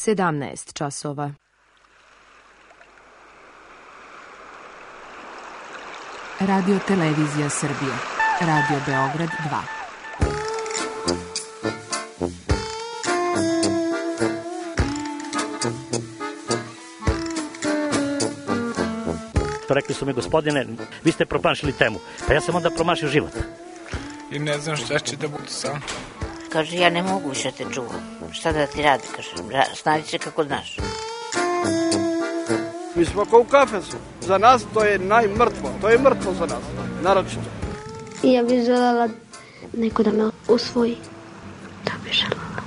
17 časova. Radio Televizija Srbije. Radio Beograd 2. Rekli su mi, gospodine, vi ste promašili temu. Pa ja sam onda promašio život. I ne znam šta će da bude sam. Kaže, ja ne mogu više te čuvam. Šta da ti radi, kaže, snađi se kako znaš. Mi smo kao u kafesu. Za nas to je najmrtvo. To je mrtvo za nas, naročito. Ja bih željela neko da me usvoji. To bih željela.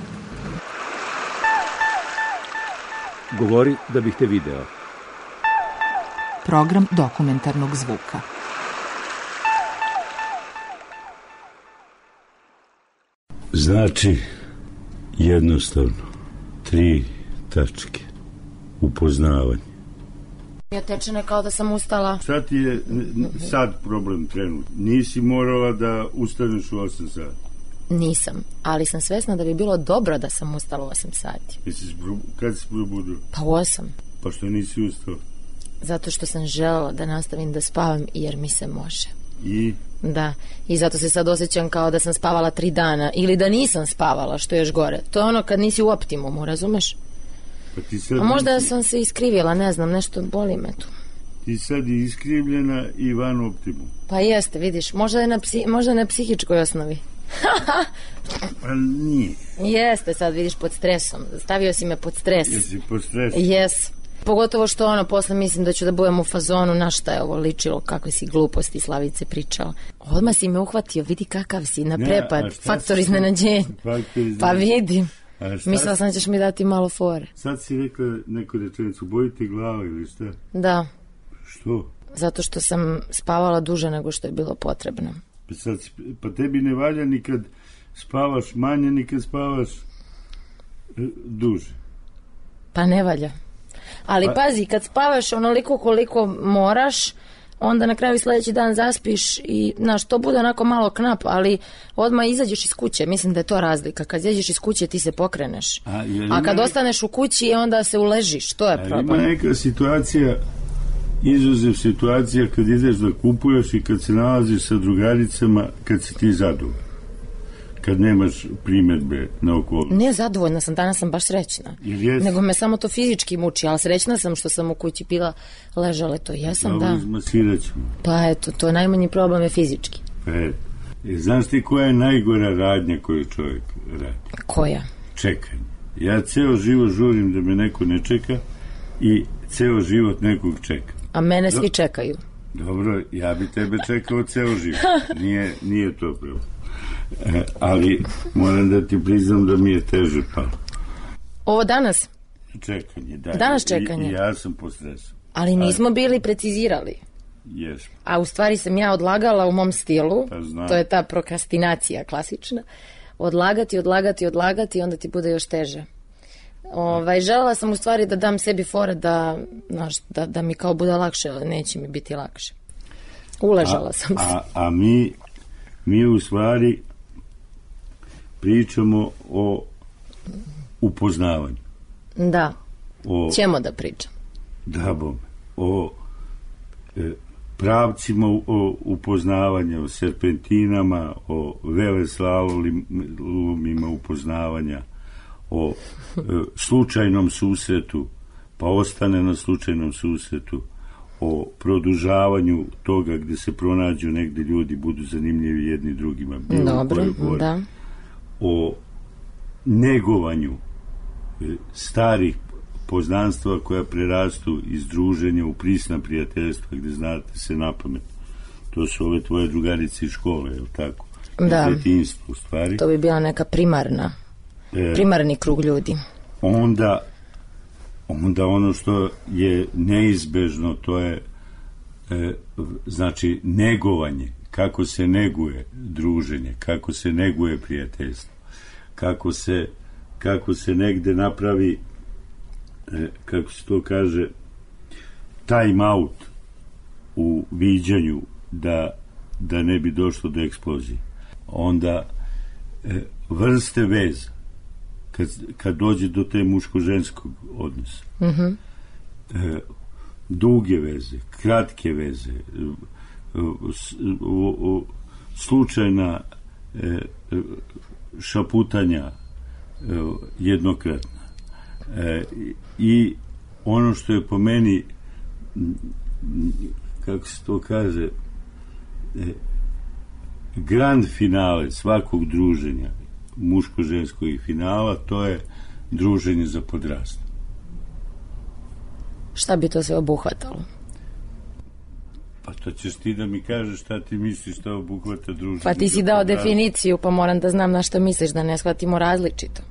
Govori da bih te video. Program dokumentarnog zvuka. Znači, jednostavno, 3 tačke. Upoznavanje. Ja tečene kao da sam ustala. Šta ti je sad problem trenutno? Nisi morala da ustaneš u 8 sati? Nisam, ali sam svesna da bi bilo dobro da sam ustala u 8 sati. Kad si probudio? Pa u 8. Pa što nisi ustala? Zato što sam želela da nastavim da spavam jer mi se može. I? Da, i zato se sad osjećam kao da sam spavala 3 dana ili da nisam spavala, što je još gore. To je ono kad nisi u optimumu, razumeš? Pa ti sad a možda sam se iskrivila, ne znam, nešto boli me tu. Ti sad je iskrivljena i van optimu. Pa jeste, vidiš, možda na psihičkoj osnovi. Pa nije. Jeste, sad vidiš, pod stresom. Stavio si me pod stres. Jesi pod stresom? Jes. Pogotovo što posle mislim da ću da budem u fazonu, na šta je ovo ličilo, kakve si gluposti Slavice pričao. Odmah si me uhvatio, vidi kakav si, na prepad, faktor iznenađenja. Pa vidim. Mislila sam da ćeš mi dati malo fore. Sad si rekla neku rečenicu, bojite glava ili šta? Da. Što? Zato što sam spavala duže nego što je bilo potrebno. Pa tebi ne valja ni kad spavaš manje, ni kad spavaš duže. Pa ne valja. Ali pazi, kad spavaš onoliko koliko moraš, onda na kraju sljedeći dan zaspiš i, znaš, to bude onako malo knap, ali odmah izađeš iz kuće. Mislim da je to razlika. Kad izađeš iz kuće ti se pokreneš. A kad ostaneš u kući onda se uležiš. To je problem. Ima neka situacija, izuzev situacija kad ideš da kupuješ i kad se nalaziš sa drugaricama, kad si ti zadovoljan. Kad nemaš primjedbe na okolnosti. Ne, zadovoljna sam, danas sam baš srećna. Nego me samo to fizički muči, ali srećna sam što sam u kući pila ležale, to jesam, da. Izmasirat ćemo. Pa eto, to najmanji problem je fizički. Znaš ti koja je najgora radnja koju čovjek radi? Koja? Čekanje. Ja ceo život žurim da me neko ne čeka i ceo život nekog čeka. A mene svi čekaju. Dobro, ja bi tebe čekao ceo život. Nije to pravo. Ali moram da ti priznam da mi je teže palo. Ovo danas? Čekanje, da. Danas čekanje? Ja sam po stresu. Ali nismo bili precizirali. Jesmo. A u stvari sam ja odlagala u mom stilu, pa to je ta prokrastinacija klasična, odlagati, onda ti bude još teže. Želela sam u stvari da dam sebi fore da mi kao bude lakše, ali neće mi biti lakše. Uležala sam se. A mi u stvari pričamo o upoznavanju. Da, ćemo da pričam. Da, bome. O pravcima upoznavanja, o serpentinama, o veleslalomima upoznavanja, o slučajnom susretu, pa ostane na slučajnom susretu, o produžavanju toga gde se pronađu negde ljudi, budu zanimljivi jedni drugima. Dobro, da. O negovanju starih poznanstva koja prerastu iz druženja u prisna prijateljstva gde znate se napamet. To su ove tvoje drugarice iz škole, je li tako? Da. Detinjstvo, u stvari. To bi bila neka primarni krug ljudi. Onda ono što je neizbežno, to je znači negovanje, kako se neguje druženje, kako se neguje prijateljstvo, kako se negde napravi, kako se to kaže, time out u viđanju da ne bi došlo do eksplozije. Onda vrste veza, kad dođe do te muško-ženskog odnosa. Duge veze, kratke veze, slučajna šaputanja jednokratna. I ono što je po meni, kako se to kaže, grand finale svakog druženja, muško-ženskog i finala, to je druženje za podrastanje. Šta bi to sve obuhvatalo? Pa to ćeš ti da mi kažeš šta ti misliš šta obuhvata druženje. Pa ti si dao definiciju, pa moram da znam na šta misliš, da ne shvatimo različito.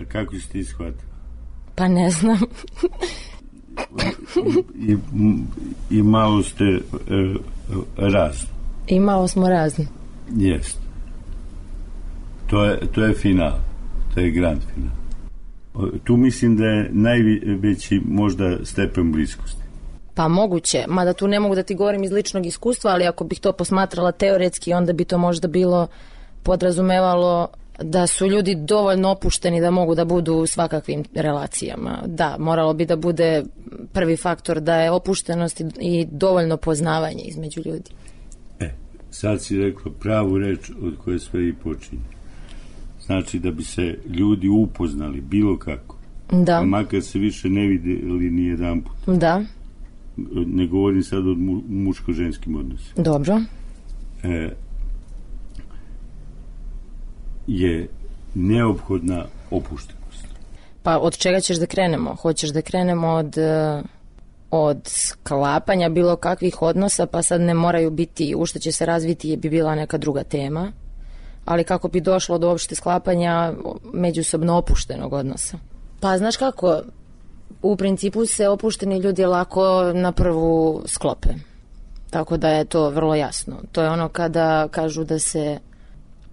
A kako si ti shvatila? Pa ne znam. I malo ste razni. I malo smo razni. Jest. To je final. To je grand final. Tu mislim da je najveći možda stepen bliskosti. Pa moguće, mada tu ne mogu da ti govorim iz ličnog iskustva, ali ako bih to posmatrala teoretski, onda bi to možda bilo podrazumevalo da su ljudi dovoljno opušteni da mogu da budu u svakakvim relacijama. Da, moralo bi da bude prvi faktor da je opuštenost i dovoljno poznavanje između ljudi. Sad si rekla pravu reč od koje sve i počinje. Znači da bi se ljudi upoznali bilo kako. Da. Makar se više ne videli ni jedan put. Da. Ne govorim sad o muško-ženskim odnosima. Dobro. Je neophodna opuštenost. Pa od čega ćeš da krenemo? Hoćeš da krenemo od sklapanja bilo kakvih odnosa, pa sad ne moraju biti, u što će se razviti bi bila neka druga tema, ali kako bi došlo do uopšte sklapanja međusobno opuštenog odnosa? Pa znaš kako, u principu se opušteni ljudi lako na prvu sklope. Tako da je to vrlo jasno. To je ono kada kažu da se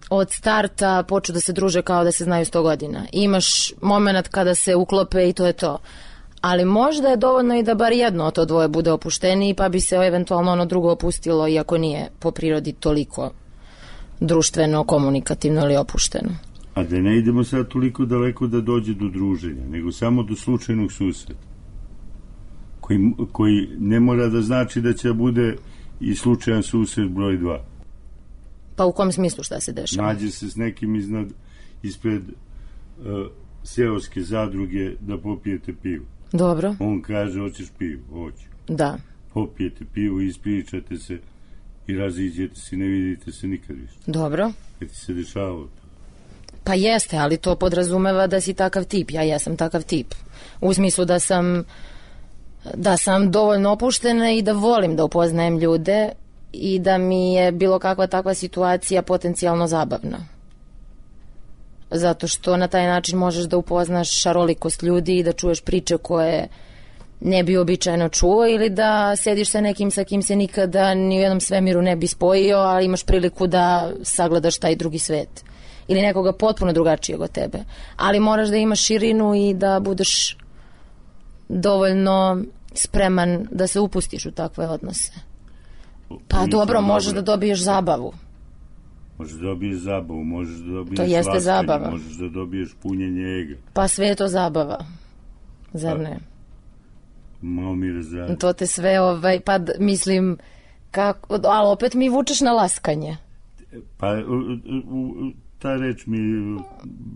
od starta počnu da se druže kao da se znaju 100 godina. Imaš moment kada se uklope i to je to. Ali možda je dovoljno i da bar jedno od to dvoje bude opušteniji, pa bi se eventualno ono drugo opustilo, iako nije po prirodi toliko društveno, komunikativno ili opušteno. A da ne idemo sad toliko daleko da dođe do druženja, nego samo do slučajnog susreta, koji ne mora da znači da će bude i slučajan susret broj 2. Pa u kom smislu šta se dešava? Nađe se s nekim ispred seoske zadruge da popijete pivo. Dobro. On kaže, hoćeš pivo? Hoću. Da. Popijete pivo, ispričate se i raziđete se, ne vidite se nikad više. Dobro. Kad ti se dešavalo to? Pa jeste, ali to podrazumeva da si takav tip. Ja jesam takav tip. U smislu da sam dovoljno opuštena i da volim da upoznajem ljude i da mi je bilo kakva takva situacija potencijalno zabavna. Zato što na taj način možeš da upoznaš šarolikost ljudi i da čuješ priče koje ne bi običajno čuo, ili da sediš sa nekim sa kim se nikada ni u jednom svemiru ne bi spojio, ali imaš priliku da sagledaš taj drugi svet. Ili nekoga potpuno drugačijeg od tebe. Ali moraš da imaš širinu i da budeš dovoljno spreman da se upustiš u takve odnose. Pa dobro, možeš da dobiješ zabavu. Možeš da dobiješ zabavu, možeš da dobiješ to jeste zabava. Možeš da dobiješ punjenje ega. Pa sve je to zabava. Zar ne? Malo mi razradi. To te sve, pa mislim, ali opet mi vučeš na laskanje. Pa ta reč mi je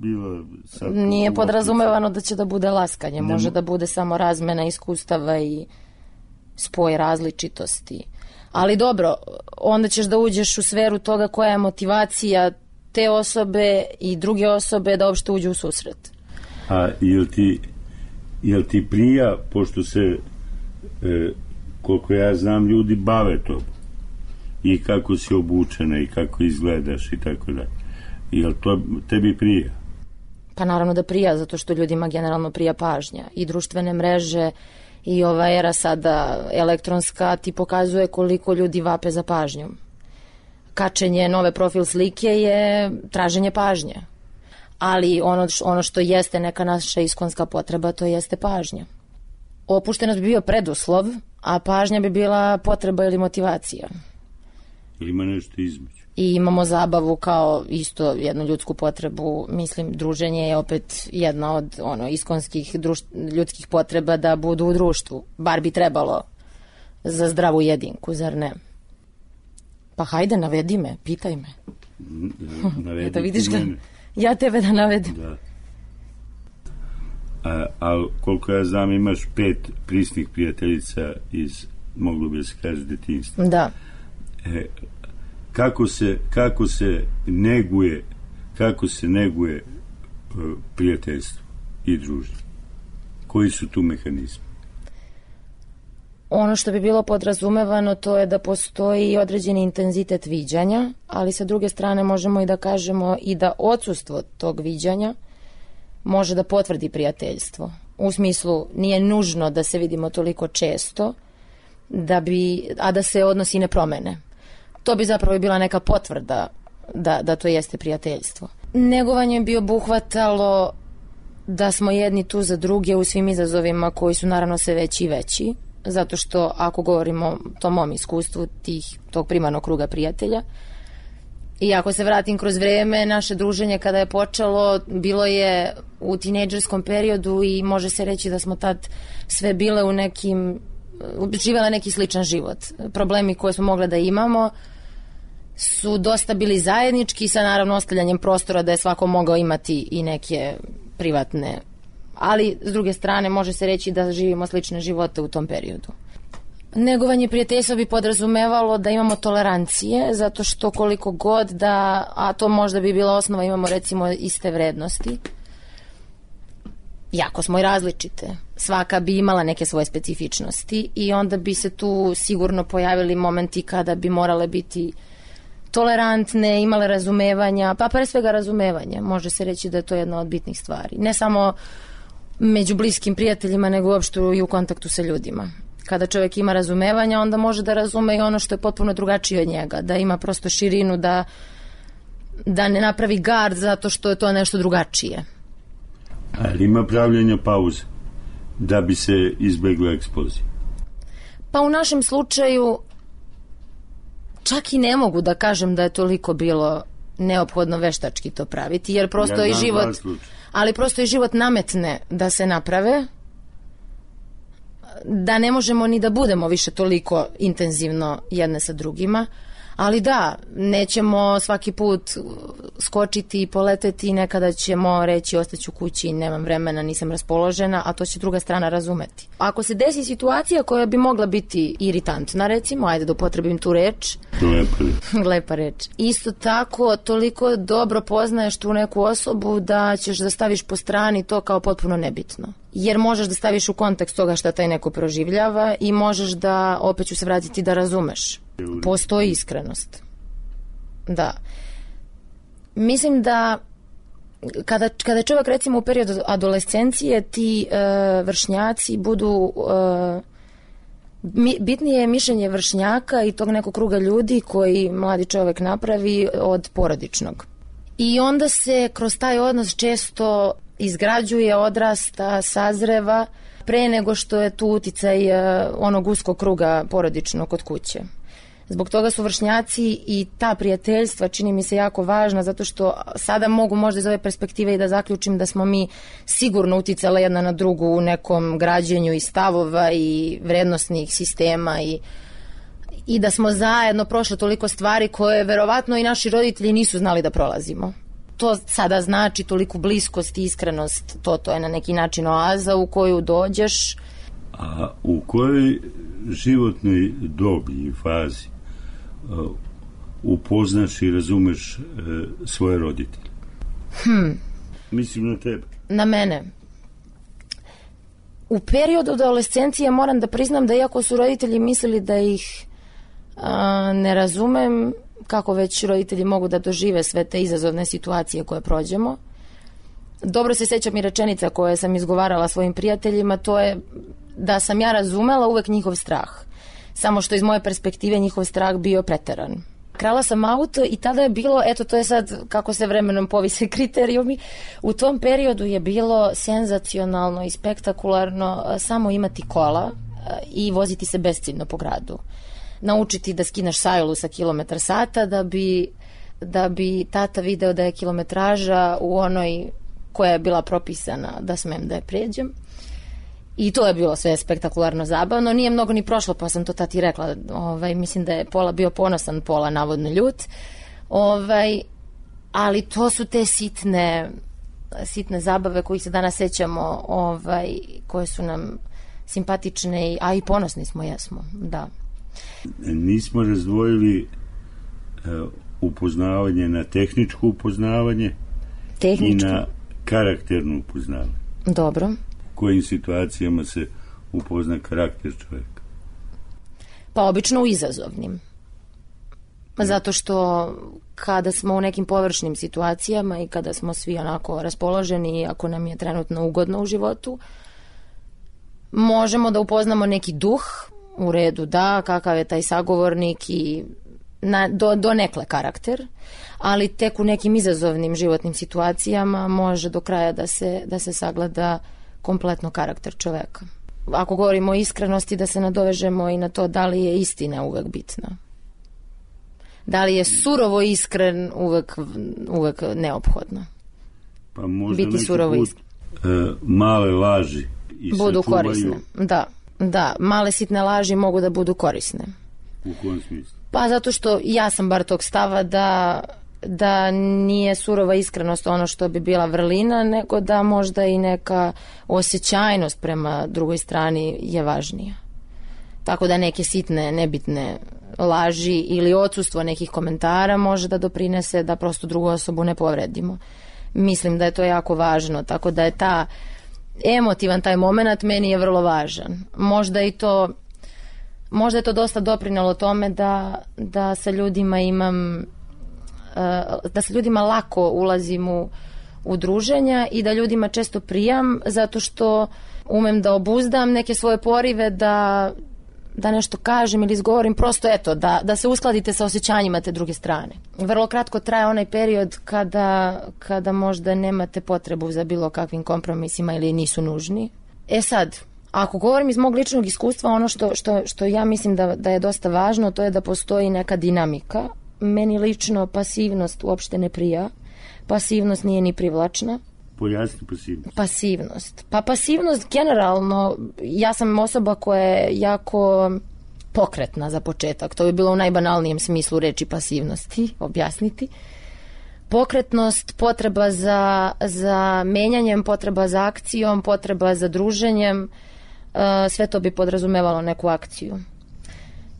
bila sad... Nije podrazumevano da će da bude laskanje, može da bude samo razmena iskustava i spoj različitosti. Ali dobro, onda ćeš da uđeš u sferu toga koja je motivacija te osobe i druge osobe da uopšte uđu u susret. A jel ti prija, pošto se, koliko ja znam, ljudi bave to i kako si obučena i kako izgledaš i tako da. Jel to tebi prija? Pa naravno da prija, zato što ljudima generalno prija pažnja. I društvene mreže i ova era sada elektronska ti pokazuje koliko ljudi vape za pažnjom. Kačenje nove profil slike je traženje pažnje. Ali ono što jeste neka naša iskonska potreba, to jeste pažnja. Opuštenost bi bio preduslov, a pažnja bi bila potreba ili motivacija. Ili ima nešto između? I imamo zabavu kao isto jednu ljudsku potrebu. Mislim, druženje je opet jedna od iskonskih ljudskih potreba da budu u društvu. Bar bi trebalo za zdravu jedinku, zar ne? Pa hajde, navedi me, pitaj me. Navedi da vidiš ti mene. Ja tebe da navedem. Da. Ali koliko ja znam, imaš 5 prisnih prijateljica iz, moglo bi se kaže, detinjstva. Da. Kako se neguje prijateljstvo i druženje? Koji su tu mehanizmi? Ono što bi bilo podrazumevano to je da postoji određeni intenzitet viđanja, ali sa druge strane možemo i da kažemo i da odsustvo tog viđanja može da potvrdi prijateljstvo. U smislu, nije nužno da se vidimo toliko često, a da se odnosi ne promene. To bi zapravo bila neka potvrda da to jeste prijateljstvo. Negovanje bi obuhvatalo da smo jedni tu za druge u svim izazovima koji su naravno sve veći i veći, zato što ako govorimo o tom mom iskustvu tog primarnog kruga prijatelja, i ako se vratim kroz vreme, naše druženje kada je počelo bilo je u tinejdžerskom periodu i može se reći da smo tad sve bile živjela neki sličan život. Problemi koje smo mogli da imamo su dosta bili zajednički, sa naravno ostavljanjem prostora da je svako mogao imati i neke privatne, ali s druge strane može se reći da živimo slične živote u tom periodu. Negovanje prijateljstva bi podrazumevalo da imamo tolerancije, zato što koliko god da, a to možda bi bila osnova, imamo recimo iste vrednosti, jako smo i različite. Svaka bi imala neke svoje specifičnosti i onda bi se tu sigurno pojavili momenti kada bi morale biti tolerantne, imale razumevanja, pa pre svega razumevanja. Može se reći da je to jedna od bitnih stvari. Ne samo među bliskim prijateljima, nego uopšte i u kontaktu sa ljudima. Kada čovjek ima razumevanja, onda može da razume i ono što je potpuno drugačije od njega, da ima prosto širinu, da ne napravi gard zato što je to nešto drugačije. Ali ima pravljenja pauze da bi se izbjegla eksplozija? Pa u našem slučaju čak i ne mogu da kažem da je toliko bilo neophodno veštački to praviti, jer prosto i život, ali prosto i život nametne da se naprave, da ne možemo ni da budemo više toliko intenzivno jedne sa drugima, ali da, nećemo svaki put skočiti i poleteti i nekada ćemo reći ostaću kući, nemam vremena, nisam raspoložena, a to će druga strana razumeti. Ako se desi situacija koja bi mogla biti iritantna, recimo, ajde da upotrebim tu reč. Lepa reč. Isto tako, toliko dobro poznaješ tu neku osobu da ćeš da staviš po strani to kao potpuno nebitno. Jer možeš da staviš u kontekst toga šta taj neko proživljava i možeš da, opet ću se vratiti, da razumeš. Postoji iskrenost. Da. Mislim da kada je čovjek recimo u periodu adolescencije, ti vršnjaci budu bitnije je mišljenje vršnjaka i tog nekog kruga ljudi koji mladi čovjek napravi od porodičnog. I onda se kroz taj odnos često izgrađuje, odrasta, sazreva pre nego što je tu uticaj onog uskog kruga porodičnog kod kuće. Zbog toga su vršnjaci i ta prijateljstva čini mi se jako važna, zato što sada mogu možda iz ove perspektive i da zaključim da smo mi sigurno uticale jedna na drugu u nekom građenju i stavova i vrednostnih sistema i da smo zajedno prošli toliko stvari koje verovatno i naši roditelji nisu znali da prolazimo. To sada znači toliku bliskost i iskrenost, to je na neki način oaza u koju dođeš. A u kojoj životnoj dobi i fazi upoznaš i razumeš svoje roditelje? Mislim na tebe. Na mene. U periodu adolescencije moram da priznam da iako su roditelji mislili da ih ne razumem, kako već roditelji mogu da dožive sve te izazovne situacije koje prođemo. Dobro se sećam i rečenica koje sam izgovarala svojim prijateljima, to je da sam ja razumela uvek njihov strah. Samo što iz moje perspektive njihov strah bio preteran. Krala sam auto i tada je bilo, eto to je sad kako se vremenom povise kriterijumi, u tom periodu je bilo senzacionalno i spektakularno samo imati kola i voziti se besciljno po gradu. naučiti da skineš sajlu sa kilometar sata da bi tata video da je kilometraža u onoj koja je bila propisana da smem da je pređem. I to je bilo sve spektakularno zabavno. Nije mnogo ni prošlo, pa sam to tati rekla. Mislim da je Pola bio ponosan, Pola navodno ljut. Ali to su te sitne zabave kojih se danas sećamo, koje su nam simpatične, a i ponosni smo, jesmo, da. Nismo razdvojili upoznavanje na tehničko upoznavanje i na karakterno upoznavanje. Dobro. U kojim situacijama se upozna karakter čovjeka? Pa obično u izazovnim. Zato što kada smo u nekim površnim situacijama i kada smo svi onako raspoloženi, ako nam je trenutno ugodno u životu, možemo da upoznamo neki duh, u redu, da, kakav je taj sagovornik i do nekle karakter, ali tek u nekim izazovnim životnim situacijama može do kraja da se sagleda kompletno karakter čoveka. Ako govorimo o iskrenosti, da se nadovežemo i na to da li je istina uvek bitna. Da li je surovo iskren uvek neophodno? Pa možda biti surovo iskren. Male laži i budu korisne. Da, male sitne laži mogu da budu korisne. U kojem smislu? Pa zato što ja sam bar tog stava da nije surova iskrenost ono što bi bila vrlina, nego da možda i neka osjećajnost prema drugoj strani je važnija. Tako da neke sitne, nebitne laži ili odsustvo nekih komentara može da doprinese da prosto drugu osobu ne povredimo. Mislim da je to jako važno, tako da je emotivan taj moment meni je vrlo važan. Možda je to dosta doprinelo tome da sa ljudima da sa ljudima lako ulazim u druženja i da ljudima često prijam, zato što umem da obuzdam neke svoje porive da nešto kažem ili izgovorim, prosto eto, da se uskladite sa osjećanjima te druge strane. Vrlo kratko traje onaj period kada možda nemate potrebu za bilo kakvim kompromisima ili nisu nužni. Sad, ako govorim iz mog ličnog iskustva, ono što ja mislim da je dosta važno, to je da postoji neka dinamika. Meni lično pasivnost uopšte ne prija. Pasivnost nije ni privlačna. Pojasni pasivnost. Pasivnost. Pa pasivnost generalno, ja sam osoba koja je jako pokretna za početak. To bi bilo u najbanalnijem smislu reči pasivnosti, objasniti. Pokretnost, potreba za menjanjem, potreba za akcijom, potreba za druženjem, sve to bi podrazumevalo neku akciju.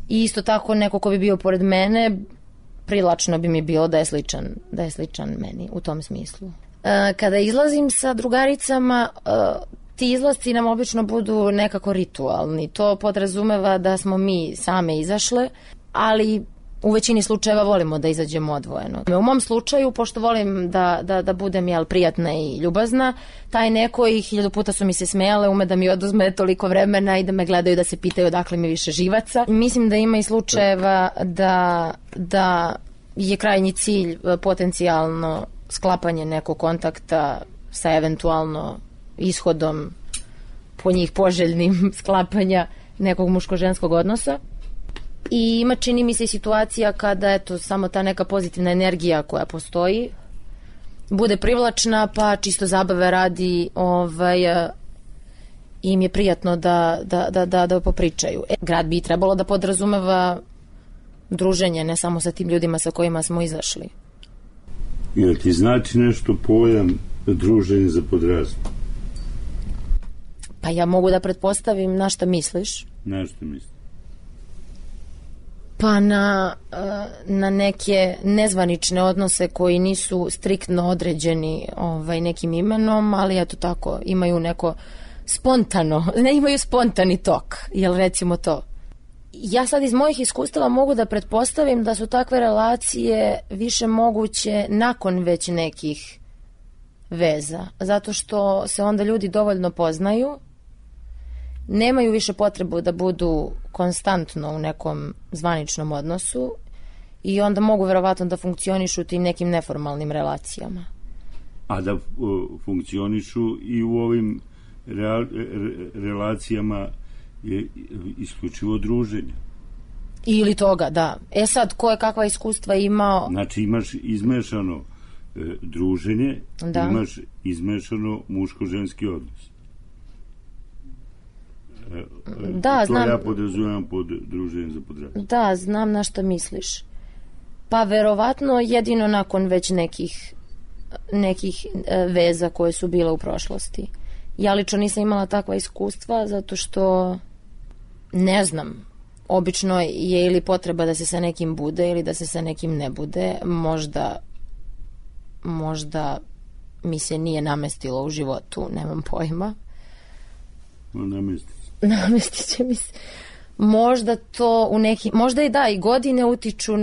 I isto tako neko ko bi bio pored mene, privlačno bi mi bilo da je sličan meni u tom smislu. Kada izlazim sa drugaricama, ti izlasci nam obično budu nekako ritualni. To podrazumeva da smo mi same izašle, ali u većini slučajeva volimo da izađemo odvojeno. U mom slučaju, pošto volim da budem prijatna i ljubazna, taj neko i 1000 puta su mi se smejale, ume da mi oduzme toliko vremena i da me gledaju da se pitaju odakle mi više živaca. Mislim da ima i slučajeva da je krajnji cilj potencijalno sklapanje nekog kontakta sa eventualno ishodom po njih poželjnim sklapanja nekog muško-ženskog odnosa. I ima, čini mi se, situacija kada samo ta neka pozitivna energija koja postoji bude privlačna, pa čisto zabave radi im je prijatno da popričaju. Grad bi trebalo da podrazumeva druženje, ne samo sa tim ljudima sa kojima smo izašli. Jel ti znači nešto pojam druženje za podrastu? Pa ja mogu da pretpostavim na šta misliš. Na šta misliš? Pa na neke nezvanične odnose koji nisu striktno određeni nekim imenom, ali eto tako, imaju neko imaju spontani tok, jel recimo to. Ja sad iz mojih iskustava mogu da pretpostavim da su takve relacije više moguće nakon već nekih veza, zato što se onda ljudi dovoljno poznaju, nemaju više potrebu da budu konstantno u nekom zvaničnom odnosu i onda mogu verovatno da funkcionišu u tim nekim neformalnim relacijama. A da funkcionišu i u ovim relacijama je isključivo druženje. Ili toga, da. Sad, ko je kakva iskustva imao... Znači, imaš izmešano druženje, da. Imaš izmešano muško-ženski odnos. Da, to znam... ja podrazumijem pod druženje za podrastu. Da, znam na što misliš. Pa verovatno jedino nakon već nekih veza koje su bile u prošlosti. Ja lično nisam imala takva iskustva zato što ne znam, obično je ili potreba da se sa nekim bude ili da se sa nekim ne bude. Možda mi se nije namestilo u životu, nemam pojma. Namestit će mi se. Možda to u neki, možda i da, i godine utiču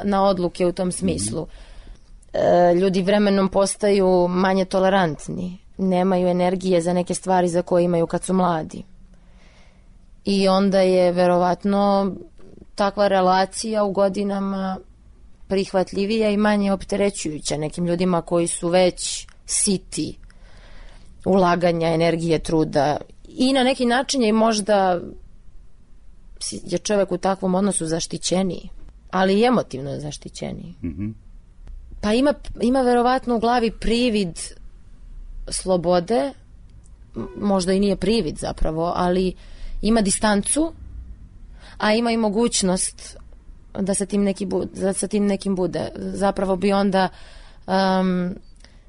na odluke u tom smislu. Ljudi vremenom postaju manje tolerantni, nemaju energije za neke stvari za koje imaju kad su mladi. I onda je verovatno takva relacija u godinama prihvatljivija i manje opterećujuća nekim ljudima koji su već siti ulaganja, energije, truda. I na neki način je možda je čovjek u takvom odnosu zaštićeniji, ali i emotivno zaštićeniji. Mm-hmm. Pa ima verovatno u glavi privid slobode, možda i nije privid zapravo, ali ima distancu, a ima i mogućnost da sa tim nekim bude. Zapravo bi onda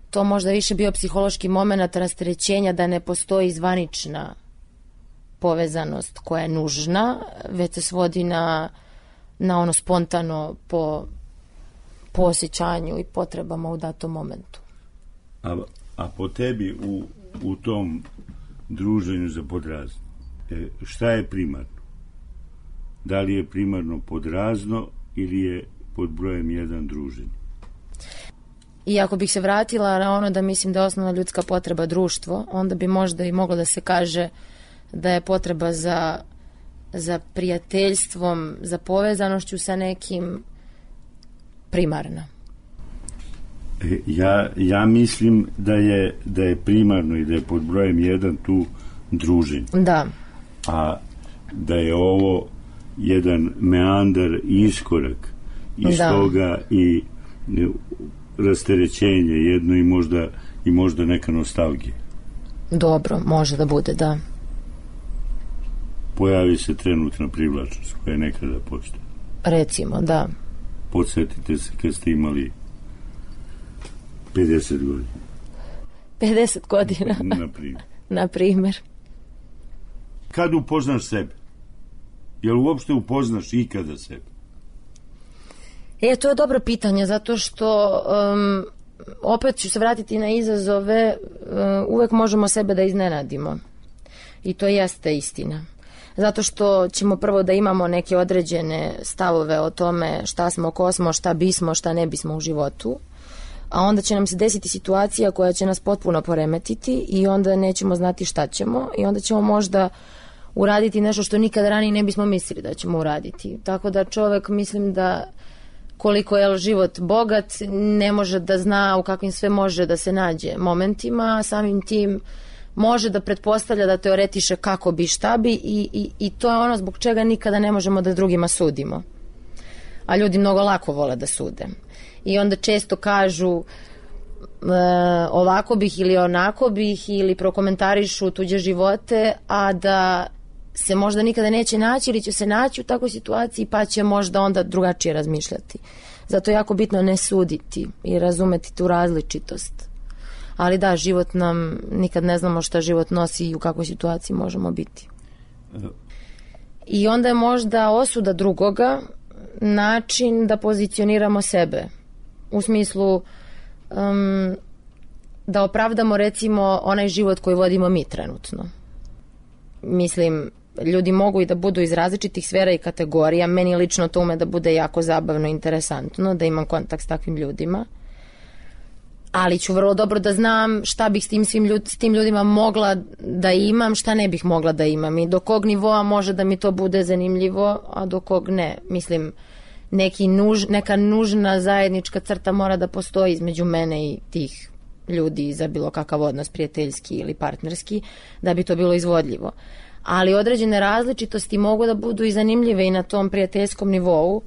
to možda više bio psihološki moment rasterećenja, da ne postoji zvanična povezanost koja je nužna, već se svodi na ono spontano po osjećanju i potrebama u datom momentu. A po tebi u tom druženju za podrazno, šta je primarno? Da li je primarno podrazno ili je pod brojem 1 druženje? I ako bih se vratila na ono da mislim da je osnovna ljudska potreba društvo, onda bi možda i moglo da se kaže da je potreba za prijateljstvom, za povezanošću sa nekim primarna. Ja mislim da je primarno i da je pod brojem 1 tu druženje. Da. A da je ovo jedan meandar i iskorak iz toga i rasterećenje jedno i možda neka nostalgija. Dobro, može da bude, da. Pojavi se trenutna privlačnost koja je nekada postoji. Recimo, da. Podsjetite se kad ste imali 50 godina. 50 godina. Na primjer. Kad upoznaš sebe? Jel uopšte upoznaš ikada sebe? To je dobro pitanje, zato što opet ću se vratiti na izazove, uvek možemo sebe da iznenadimo. I to jeste istina. Zato što ćemo prvo da imamo neke određene stavove o tome šta smo, ko smo, šta bismo, šta ne bismo u životu, a onda će nam se desiti situacija koja će nas potpuno poremetiti i onda nećemo znati šta ćemo i onda ćemo možda uraditi nešto što nikad ranije ne bismo mislili da ćemo uraditi. Tako da čovek, mislim da koliko je život bogat, ne može da zna u kakvim sve može da se nađe momentima, samim tim može da pretpostavlja, da teoretiše kako bi, šta bi i to je ono zbog čega nikada ne možemo da drugima sudimo. A ljudi mnogo lako vole da sude. I onda često kažu ovako bih ili onako bih ili prokomentarišu tuđe živote, a da se možda nikada neće naći ili će se naći u takvoj situaciji pa će možda onda drugačije razmišljati. Zato je jako bitno ne suditi i razumeti tu različitost. Ali da, život nam, nikad ne znamo šta život nosi i u kakvoj situaciji možemo biti. I onda je možda osuda drugoga način da pozicioniramo sebe. U smislu da opravdamo recimo onaj život koji vodimo mi trenutno. Mislim, ljudi mogu i da budu iz različitih sfera i kategorija. Meni lično to ume da bude jako zabavno i interesantno, da imam kontakt s takvim ljudima. Ali ću vrlo dobro da znam šta bih s tim ljudima mogla da imam, šta ne bih mogla da imam i do kog nivoa može da mi to bude zanimljivo, a do kog ne. Mislim, neka nužna zajednička crta mora da postoji između mene i tih ljudi za bilo kakav odnos, prijateljski ili partnerski, da bi to bilo izvodljivo. ali određene različitosti mogu da budu i zanimljive i na tom prijateljskom nivou,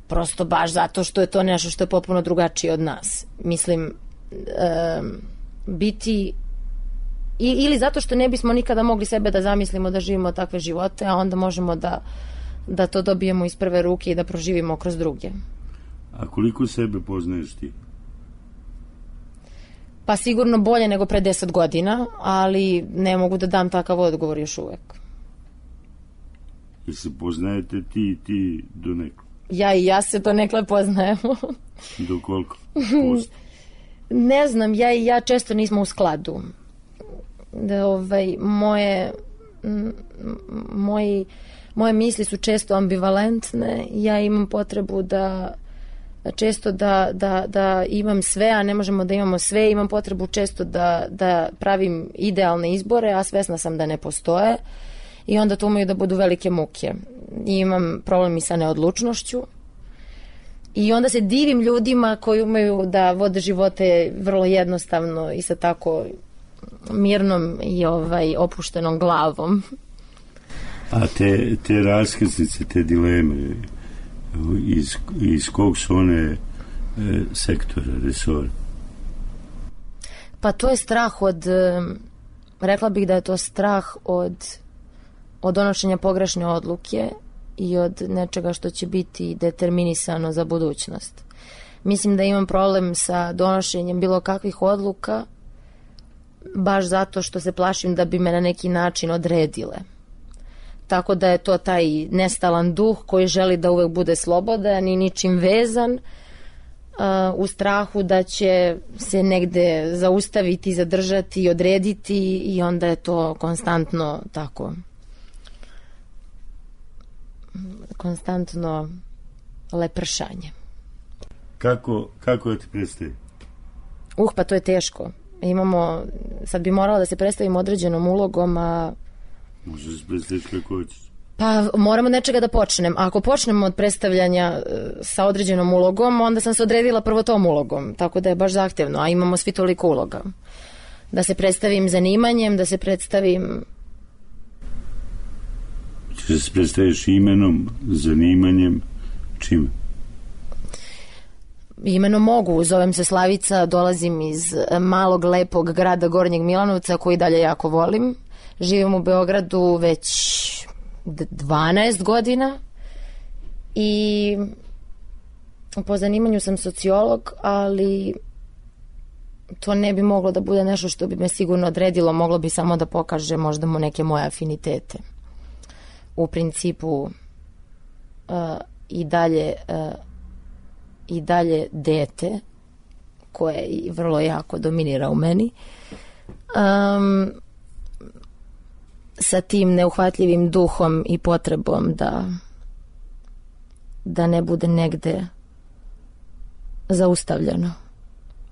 prosto baš zato što je to nešto što je potpuno drugačije od nas. Mislim, biti ili zato što ne bismo nikada mogli sebe da zamislimo da živimo takve živote, a onda možemo da to dobijemo iz prve ruke i da proživimo kroz druge. A koliko sebe poznaješ ti? Pa sigurno bolje nego pre 10 godina, ali ne mogu da dam takav odgovor još uvek. Jel se poznajete ti do neko? Ja i ja se donekle poznajemo. Do koliko posto? Ne znam, ja i ja često nismo u skladu. Moje misli su često ambivalentne. Ja imam potrebu da često da imam sve, a ne možemo da imamo sve. Imam potrebu često da pravim idealne izbore, a svesna sam da ne postoje. I onda to umeju da budu velike muke. I imam problem i sa neodlučnošću. I onda se divim ljudima koji umeju da vode živote vrlo jednostavno i sa tako mirnom i opuštenom glavom. A te raskrsnice, te dileme, iz kog su one sektora, resora? Pa to je strah rekla bih da je to strah od donošenja pogrešne odluke i od nečega što će biti determinisano za budućnost. Mislim da imam problem sa donošenjem bilo kakvih odluka baš zato što se plašim da bi me na neki način odredile. Tako da je to taj nestalan duh koji želi da uvek bude slobodan i ničim vezan, u strahu da će se negde zaustaviti, zadržati i odrediti, i onda je to konstantno tako. Konstantno lepršanje. Kako da ti predstavi? Pa to je teško. Sad bi morala da se predstavim određenom ulogom, a... Možeš se predstaviti kako hoćeš. Pa moramo od nečega da počnem. Ako počnemo od predstavljanja sa određenom ulogom, onda sam se odredila prvo tom ulogom, tako da je baš zahtevno, a imamo svi toliko uloga. Da se predstavim zanimanjem, da se predstavim... Če se predstaviš imenom, zanimanjem, čime? Imenom mogu, zovem se Slavica, dolazim iz malog, lepog grada Gornjeg Milanovca, koji dalje jako volim. Živim u Beogradu već 12 godina i po zanimanju sam sociolog, ali to ne bi moglo da bude nešto što bi me sigurno odredilo, moglo bi samo da pokaže možda mu neke moje afinitete. U principu i dalje dete koje vrlo jako dominira u meni, sa tim neuhvatljivim duhom i potrebom da ne bude negde zaustavljeno,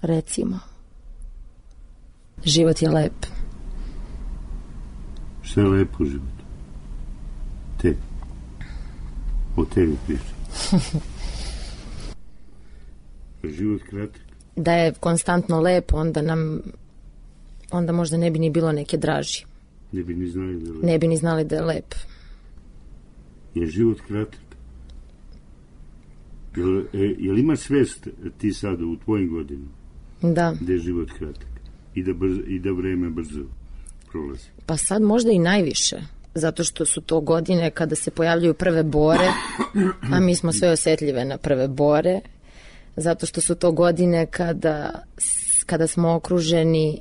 recimo. Život je lep. Šta je lepo u životu? O tebi pričam. Život kratak. Da je konstantno lep, onda možda ne bi ni bilo neke draži. Ne bi ni znali da je lep. Ne bi ni znali da je lep. Je život kratak? Jel imaš svest ti sad u tvojim godinama? Da. Da je život kratak i da vreme brzo prolazi? Pa sad možda i najviše. Zato što su to godine kada se pojavljaju prve bore, a mi smo sve osetljive na prve bore. Zato što su to godine kada smo okruženi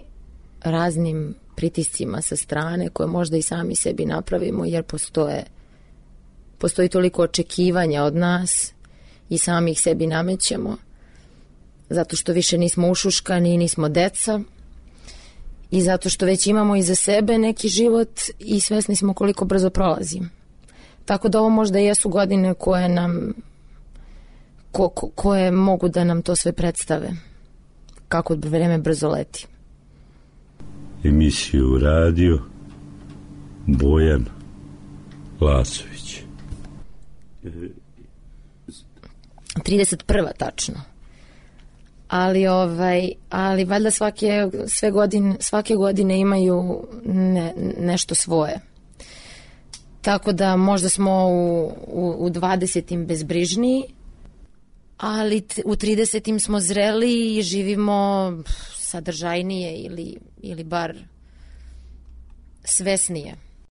raznim pritiscima sa strane, koje možda i sami sebi napravimo, jer postoji toliko očekivanja od nas i sami ih sebi namećemo. Zato što više nismo ušuškani i nismo deca. I zato što već imamo iza sebe neki život i svesni smo koliko brzo prolazi. Tako da ovo možda jesu godine koje nam koje mogu da nam to sve predstave. Kako vreme brzo leti. Emisiju radio Bojan Lasović. 31. tačno. ali valjda svake godine imaju nešto svoje. Tako da možda smo u 20. bezbrižniji, ali u 30. smo zreli i živimo sadržajnije ili bar svesnije.